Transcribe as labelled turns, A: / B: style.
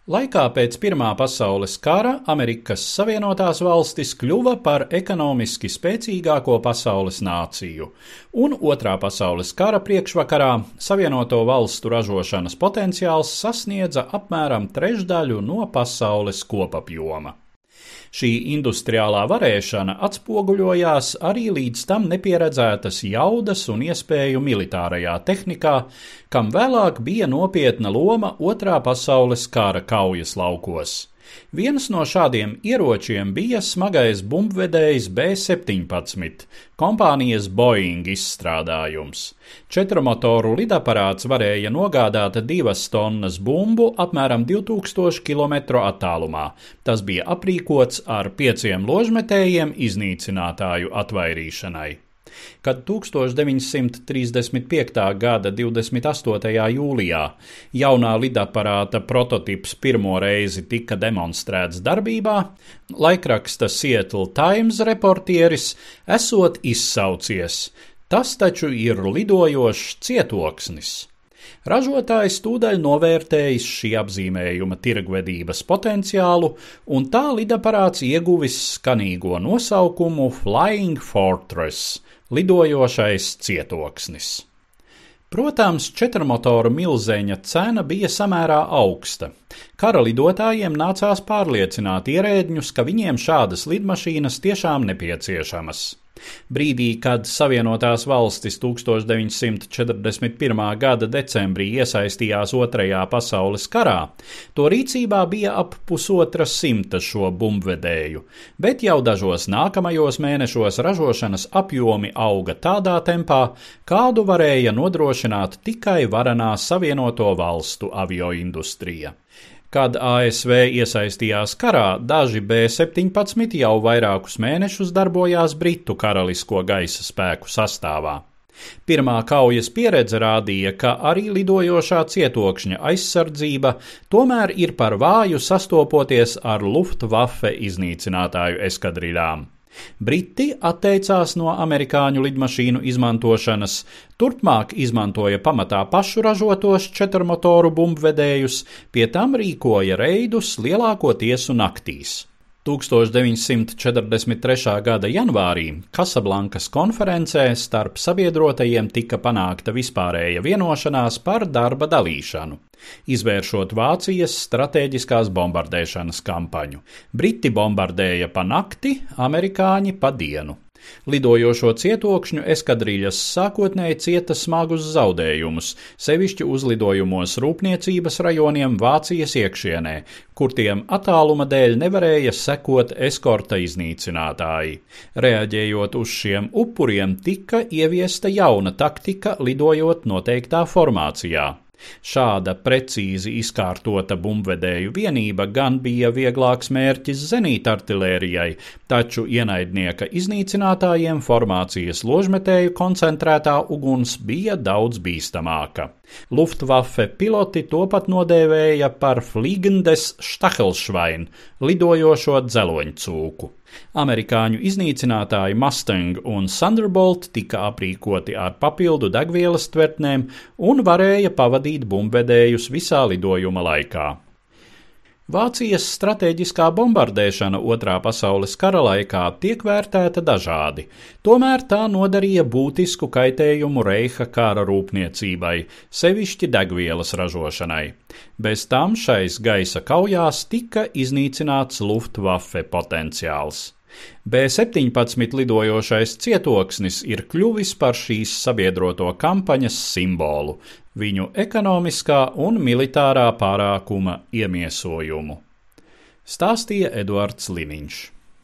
A: Laikā pēc Pirmā pasaules kara Amerikas Savienotās valstis kļuva par ekonomiski spēcīgāko pasaules nāciju, un Otrā pasaules kara priekšvakarā Savienoto valstu ražošanas potenciāls sasniedza apmēram trešdaļu no pasaules kopapjoma. Šī industriālā varēšana atspoguļojās arī līdz tam nepieredzētas jaudas un iespēju militārajā tehnikā, kam vēlāk bija nopietna loma Otrā pasaules kara kaujas laukos. Viens no šādiem ieročiem bija smagais bumbvedējs B-17, kompānijas Boeing izstrādājums. Četrmotoru lidaparāts varēja nogādāt 2 tonnas bumbu apmēram 2000 km attālumā. Tas bija aprīkots ar 5 ložmetējiem iznīcinātāju atvairīšanai. Kad 1935. gada 28. jūlijā jaunā lidaparāta prototips pirmo reizi tika demonstrēts darbībā, laikraksta Seattle Times reportieris esot izsaucies: "Tas taču ir lidojošs cietoksnis." Ražotājs tūdaļ novērtējis šī apzīmējuma tirgvedības potenciālu, un tā lidaparāts ieguvis skanīgo nosaukumu Flying Fortress – lidojošais cietoksnis. Protams, četrmotoru milzeņa cena bija samērā augsta. Kara lidotājiem nācās pārliecināt ierēdņus, ka viņiem šādas lidmašīnas tiešām nepieciešamas. Brīdī, kad Savienotās valstis 1941. gada decembrī iesaistījās Otrajā pasaules karā, to rīcībā bija ap 150 šo bumbvedēju, bet jau dažos nākamajos mēnešos ražošanas apjomi auga tādā tempā, kādu varēja nodrošināt tikai varenā Savienoto valstu avioindustrija. Kad ASV iesaistījās karā, daži B-17 jau vairākus mēnešus darbojās Britu karalisko gaisa spēku sastāvā. Pirmā kaujas pieredze rādīja, ka arī lidojošā cietokšņa aizsardzība tomēr ir par vāju sastopoties ar Luftwaffe iznīcinātāju eskadriļām. Briti atteicās no amerikāņu lidmašīnu izmantošanas, turpmāk izmantoja pamatā pašu ražotos četrmotoru bumbvedējus, pie tam rīkoja reidus lielākoties naktīs. 1943. gada janvārī Kasablankas konferencē starp sabiedrotajiem tika panākta vispārēja vienošanās par darba dalīšanu, izvēršot Vācijas stratēģiskās bombardēšanas kampaņu. Briti bombardēja pa nakti, amerikāņi pa dienu. Lidojošo cietokšņu eskadriļas sākotnēji cieta smagus zaudējumus, sevišķi uzlidojumos rūpniecības rajoniem Vācijas iekšienē, kur tiem attāluma dēļ nevarēja sekot eskorta iznīcinātāji. Reaģējot uz šiem upuriem, tika ieviesta jauna taktika, lidojot noteiktā formācijā. Šāda precīzi izkārtota bumbvedēju vienība gan bija vieglāks mērķis zenītartilērijai, taču ienaidnieka iznīcinātājiem formācijas ložmetēju koncentrētā uguns bija daudz bīstamāka. Luftwaffe piloti to pat nodēvēja par Fliegendes Stachelschwein – lidojošo dzeloņcūku. Amerikāņu iznīcinātāji Mustang un Thunderbolt tika aprīkoti ar papildu degvielas tvertnēm un varēja pavadīt bumbvedējus visā lidojuma laikā. Vācijas stratēģiskā bombardēšana Otrā pasaules kara laikā tiek vērtēta dažādi, tomēr tā nodarīja būtisku kaitējumu Reiha kara rūpniecībai, sevišķi degvielas ražošanai. Bez tam šais gaisa kaujās tika iznīcināts Luftwaffe potenciāls. B-17 lidojošais cietoksnis ir kļuvis par šīs sabiedroto kampaņas simbolu, viņu ekonomiskā un militārā pārākuma iemiesojumu. Stāstīja Eduards Liniņš.